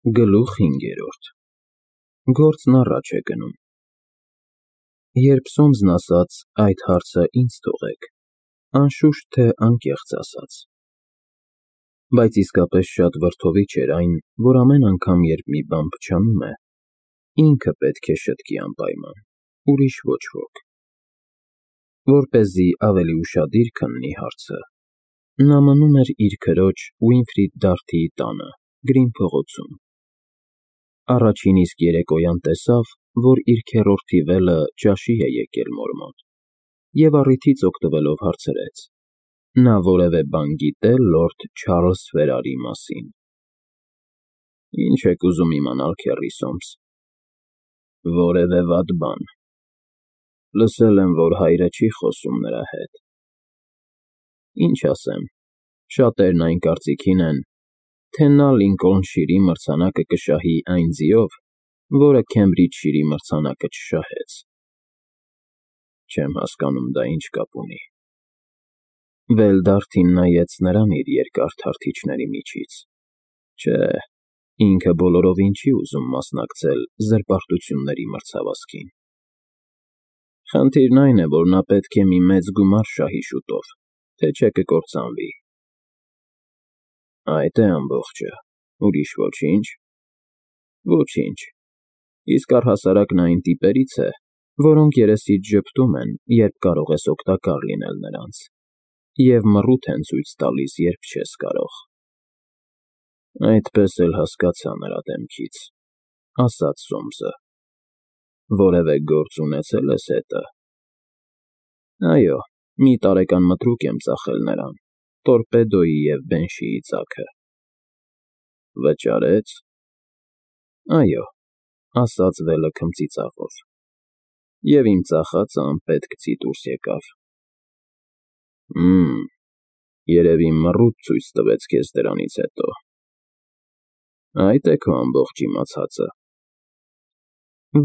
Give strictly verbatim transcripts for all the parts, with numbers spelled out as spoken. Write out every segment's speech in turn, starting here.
Գլուխ հինգերորդ Գործն առաջ է գնում։ Երբ Սոմսն ասաց այդ հարցը ինձ թողեք, անշուշտ թե անկեղծ ասաց, բայց իսկապես շատ վրդովիչ էր այն, որ ամեն անգամ, երբ մի բան փչանում է, ինքը պետք է շտկի անպայման, ուրիշ ոչ ոք։ Որպեսզի ավելի ուշադիր քննի հարցը, նա մնում էր իր քրոջ Ուինֆրիդ Դարթիի տանը, Գրին փողոցում։ Առաջին իսկ երեկոյան տեսավ, որ իր քեռորդի վելը ճաշի է եկել մոր մոտ, և առիթից օգտվելով հարցրեց. նա որևէ բան գիտե՞ լորդ Չարլզ Ֆերարի մասին։ Ի՞նչ եք ուզում իմանալ, քեռի Սոմս։ Որևէ վատ բան։ Լսել եմ, որ հայրը չի խոսում նրա հետ։ Ինչ ասեմ, շատերն այն կարծիքին են, թե նա Լինքոլնշիրի մրցանակը կշահի այն ձիով, որը Քեմբրիջշիրի մրցանակը չշահեց։ Չեմ հասկանում դա ինչ կապ ունի։ Վել Դարթին նայեց նրան իր երկար թարթիչների միջից։ Չէ, ինքը բոլորովին չի ուզում մասնակցել զրպարտությունների մրցավազքին։ Խնդիրն այն է, որ նա պետք է մի մեծ գումար շահի շուտով, թե չէ կկործանվի։ Այդ է ամբողջը, ուրիշ ոչինչ։ Ոչինչ, իսկ առհասարակ նա այն տիպերից է, որոնք երեսիդ ժպտում են, երբ կարող ես օգտակար լինել նրանց, և մռութ են ցույց տալիս, երբ չես կարող։ Այդպես էլ հասկացա նրա դեմքից, ասաց Սոմսը։ Որևէ գործ ունեցե՞լ ես հետը։ Այո, մի տարեկան մտրուկ եմ ծախել նրան, Տորպեդոյի և Բենշիի ծագը։ Վճարե՞ց։ Այո, ասաց վելը քմծիծաղով, և իմ ծախածը անպետք ձի դուրս եկավ։ Հըմ, երևի մռութ ցույց տվեց քեզ դրանից հետո։ Այդ է քո ամբողջ իմացածը։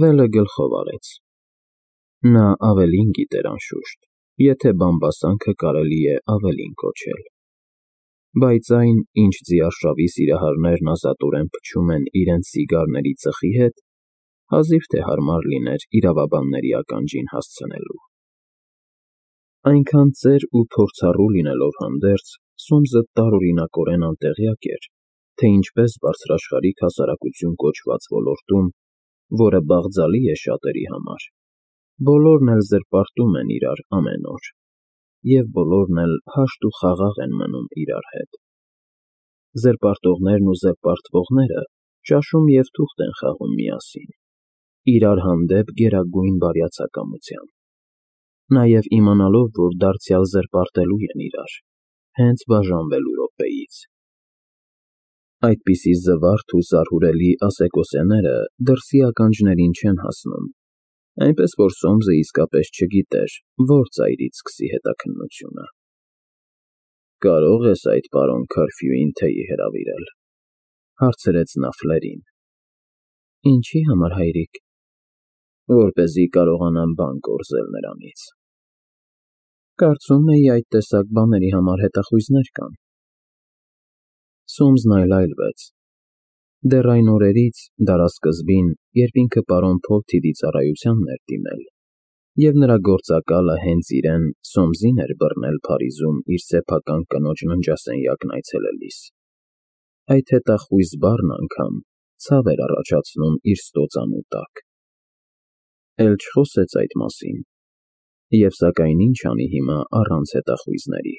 Վելը գլխով արեց։ Նա ավելին գիտեր անշուշտ, եթե բամբասանքը կարելի է ավելին կոչել։ Բայց այն, ինչ ձիարշավի սիրահարներն ազատորեն փչում են իրենց սիգարների ծխի հետ, հազիվ թե հարմար լիներ իրավաբանների ականջին հասցնելու։ Այնքան ծեր ու փորձառու լինելով հանդերձ, Սոմսը տարօրինակորեն անտեղյակ էր, թե ինչպես բարձրաշխարհիկ հասարակություն կոչված ոլորտում, որը բաղձալի է շատերի համար, բոլորն էլ զրպարտում են իրար ամեն օր, և բոլորն էլ հաշտ ու խաղաղ են մնում իրար հետ։ Զրպարտողներն ու զրպարտվողները ճաշում և թուղթ են խաղում միասին, իրար հանդեպ գերագույն բարյացակամությամբ, նաև իմանալով, որ դարձյալ զրպարտելու են իրար, հենց բաժանվելու րոպեից։ Այդպիսի զվարթ ու զարհուրելի ասեկոսեները դրսի ականջներին չեն հասնում, այնպես որ Սոմսը իսկապես չգիտեր, որ ծայրից սկսի հետաքննությունը։ Կարո՞ղ ես այդ պարոն Քարֆյուին թեյի հրավիրել, հարցրեց նա Ֆլերին։ Ինչի համար, հայրիկ։ Որպեսզի կարողանամ բան կորզել նրանից։ Կարծում էի այդ տեսակ բաների համար հետախույզներ կան։ Սոմսն այլայլվեց։ Դեռ այն օրերից, դարասկզբին, երբ ինքը պարոն Փոլթիդի ծառայությանն էր դիմել, և նրա գործակալը հենց իրեն՝ Սոմսին էր բռնել Փարիզում իր սեփական կնոջ ննջասենյակն այցելելիս, այդ հետախույզ բառն անգամ ցավ էր առաջացնում իր ստոծանու տակ։ Էլ չխոսեց այդ մասին, և սակայն ինչ անի հիմա առանց հետախույզների։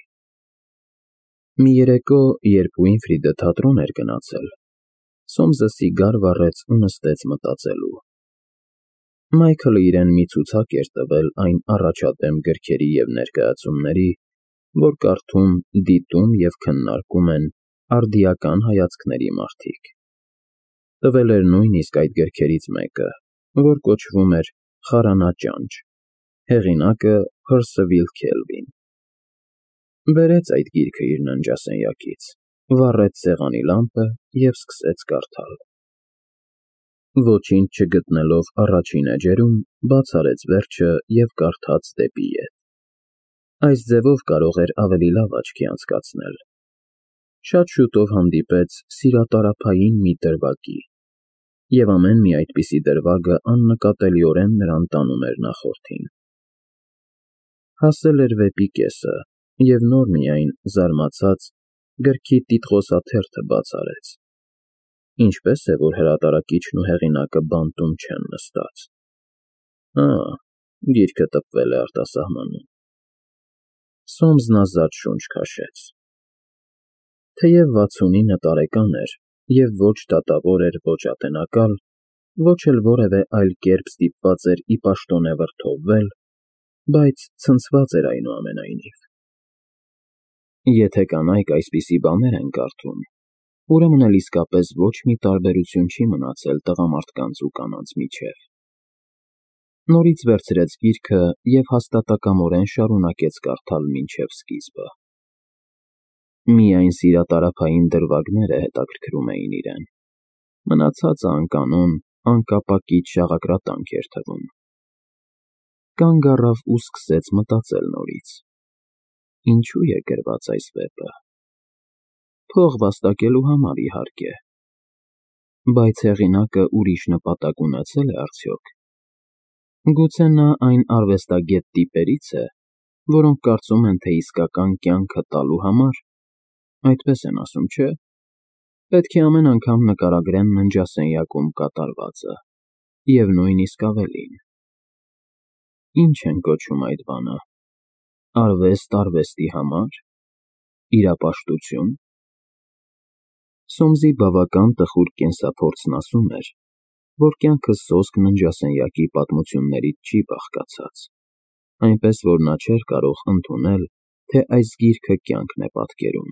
Մի երեկո, երբ Ուինֆրիդը թատրոն էր գնացել, Սոմսը սիգար վառեց ու նստեց մտածելու։ Մայքլը իրեն մի ցուցակ էր տվել այն առաջադեմ գրքերի և ներկայացումների, որ կարդում, դիտում և քննարկում են արդիական հայացքների մարդիկ։ Տվել էր նույնիսկ այդ գրքերից մեկը, որ կոչվում էր «Խարանա ճանճ», հեղինակը Փըրսիվիլ Քելվին։ Բերեց այդ գիրքը իր ննջասենյակից, վառեց սեղանի լամպը և սկսեց կարդալ։ Ոչինչ չգտնելով առաջին էջերում, բաց արեց վերջը և կարդաց դեպի ետ։ Այս ձևով կարող էր ավելի լավ աչքի անցկացնել։ Շատ շուտով հանդիպեց սիրատարափային մի դրվագի, և ամեն մի այդպիսի դրվագը աննկատելիորեն նրան տանում էր նախորդին։ Հասել էր վեպի կեսը, և նոր միայն, զարմացած, գրքի տիտղոսաթերթը բաց արեց։ Ինչպե՞ս է, որ հրատարակիչն ու հեղինակը բանտում չեն նստած։ Ա, գիրքը տպվել է արտասահմանում։ Սոմսն ազատ շունչ քաշեց։ Թեև վաթսունինը տարեկան էր և ոչ դատավոր էր, ոչ ատենակալ, ոչ էլ որևէ այլ կերպ ստիպված էր ի պաշտոնե վրդովվել, բայց ցնցված էր այնուամենայնիվ։ Եթե կանայք այսպիսի բաներ են կարդում, ուրեմն էլ իսկապես ոչ մի տարբերություն չի մնացել տղամարդկանց ու կանանց միջև։ Նորից վերցրեց գիրքը և հաստատակամորեն շարունակեց կարդալ մինչև սկիզբը։ Միայն սիրատարափային դրվագները հետաքրքրում էին իրեն, մնացածը անկանոն, անկապակից շաղակրատանք էր թվում։ Կանգ առավ ու սկսեց մտածել նորից. ինչու է գրված այս վեպը։ Փող վաստակելու համար, իհարկե։ Բայց հեղինակը ուրիշ նպատակ ունեցե՞լ է արդյոք։ Գուցե նա այն արվեստագետ տիպերից է, որոնք կարծում են, թե իսկական կյանքը տալու համար, այդպես են ասում, չէ՞, պետք է ամեն անգամ նկարագրեն ննջասենյակում կատարվածը, և նույնիսկ ավելին։ Ինչ են կոչում այդ բանը, արվեստ արվեստի համար, իրապաշտությո՞ւն։ Սոմսի բավական տխուր կենսափորձն ասում էր, որ կյանքը սոսկ ննջասենյակի պատմություններից չի բաղկացած, այնպես որ նա չէր կարող ընդունել, թե այս գիրքը կյանքն է պատկերում,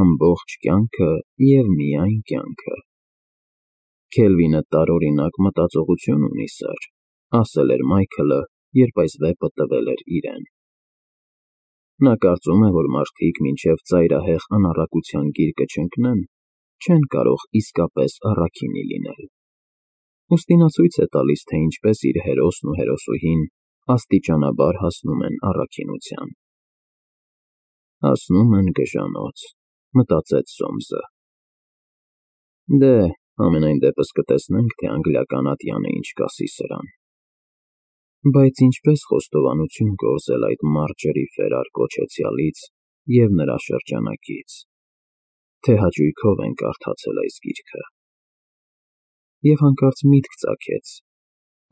ամբողջ կյանքը և միայն կյանքը։ Քելվինը տարօրինակ մտածողություն ունի, սըր, ասել էր Մայքլը, երբ այս վեպը տվել էր իրեն։ Նա կարծում է, որ մարդիկ մինչև ծայրահեղ անառակության գիրկը չընկնեն, չեն կարող իսկապես առաքինի լինել։ Ուստի նա ցույց է տալիս, թե ինչպես իր հերոսն ու հերոսուհին աստիճանաբար հասնում են առաքինության։ Հասնում են գժանոց, մտածեց Սոմսը։ Դե, համենայն դեպս կտեսնենք, թե անգլիական ատյանը ինչ կասի սրան։ Բայց ինչպես խոստովանություն գործել այդ Մարջերի Ֆերար կոչեցյալից և նրա շրջանակից, թե հաճույքով են կարդացել այս գիրքը։ Եվ հանկարծ միտք ծագեց,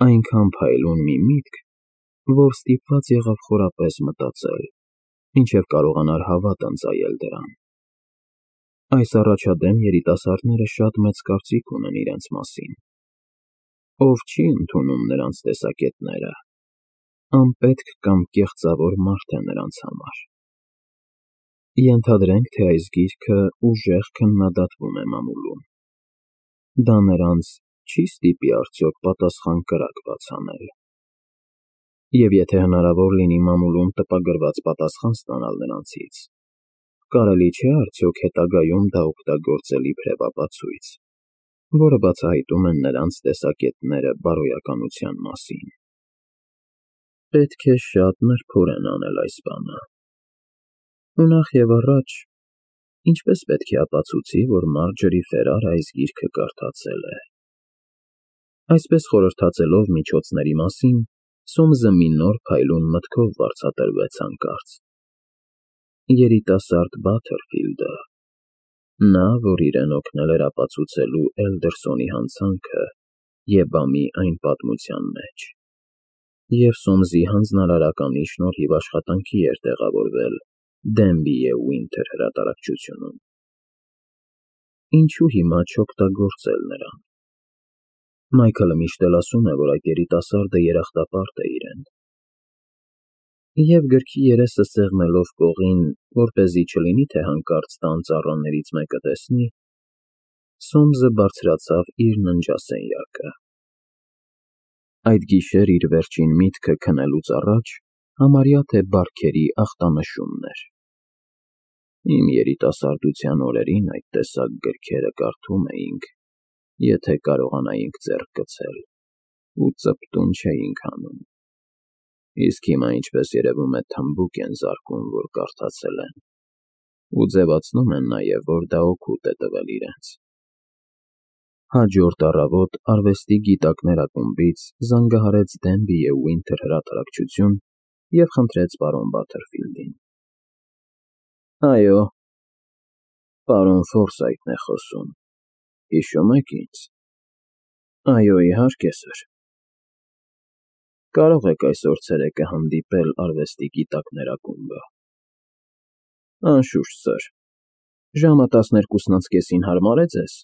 այնքան փայլուն մի միտք, որ ստիպված եղավ խորապես մտածել, մինչև կարողանար հավատ ընծայել դրան։ Այս առաջադեմ երիտասարդները շատ մեծ կարծիք ունեն իրենց մասին։ Ով չի ընդունում նրանց տեսակետները, անպետք կամ կեղծավոր մարդ է նրանց համար։ Ենթադրենք, թե այս գիրքը ուժեղ քննադատվում է մամուլում։ Դա նրանց չի՞ ստիպի արդյոք պատասխան կրակ բաց անել։ Եվ եթե հնարավոր լինի մամուլում տպագրված պատասխան ստանալ նրանցից, կարելի չէ՞ արդյոք հետագայում դա օգտագործել իբրև ապացույց, որը բացահայտում է նրանց տեսակետները բարոյականության մասին։ Պետք է շատ նրբորեն անել այս բանը։ Ու նախևառաջ, ինչպես պետք է ապացուցի, որ Մարջերի Ֆերարը այս գիրքը կարդացել է։ Այսպես խորհրդածելով միջոցների մասին, Սոմսը մի նոր փայլուն մտքով վարձատրվեց հանկարծ։ Երիտասարդ Բաթերֆիլդը, նա, որ իրեն օգնել էր ապացուցելու Էլդերսոնի հանցանքը Եբամի այն պատմության մեջ, և Սոմսի հանձնարարականի շնորհիվ աշխատանքի էր տեղավորվել Դենբիի Ուինթեր հրատարակչությունում։ Ինչու հիմա չօգտագործել նրան։ Մայքլը միշտ էլ ասում է, որ այդ երիտասարդը երախտապարտ է իրեն։ Եվ գրքի երեսը սեղմելով կողին, որպեսզի չլինի, թե հանկարծ տան ծառաներից մեկը տեսնի, Սոմսը բարձրացավ իր ննջասենյակը։ Այդ գիշեր իր վերջին միտքը քնելուց առաջ համարյա թե բարքերի ախտանշումն էր։ Իմ երիտասարդության օրերին այդ տեսակ գրքերը կարդում էինք, եթե կարողանայինք ձեռք գցել, ու ծպտուն չէինք անում։ Իսկ հիմա, ինչպես երևում է, թմբուկ են զարկում, որ կարդացել են, ու ձևացնում են նաև, որ դա օգուտ է տվել իրենց։ Հաջորդ առավոտ արվեստի գիտակներ ակումբից զանգահարեց Դենբի և Վինթեր հրատարակչություն և խնդրեց պարոն Բաթերֆիլդին։ ֊ Այո, պարոն Ֆորսայթն է խոսում, հիշո՞ւմ եք ինձ։ ֊ Այո, իհարկե, սըր։ ֊ Կարո՞ղ եք այսօր ցերեկը հանդիպել արվեստի գիտակներ ակումբը։ ֊ Անշուշտ, սըր։ Ժամը տասներկուսն անց կեսին հարմար է ձեզ։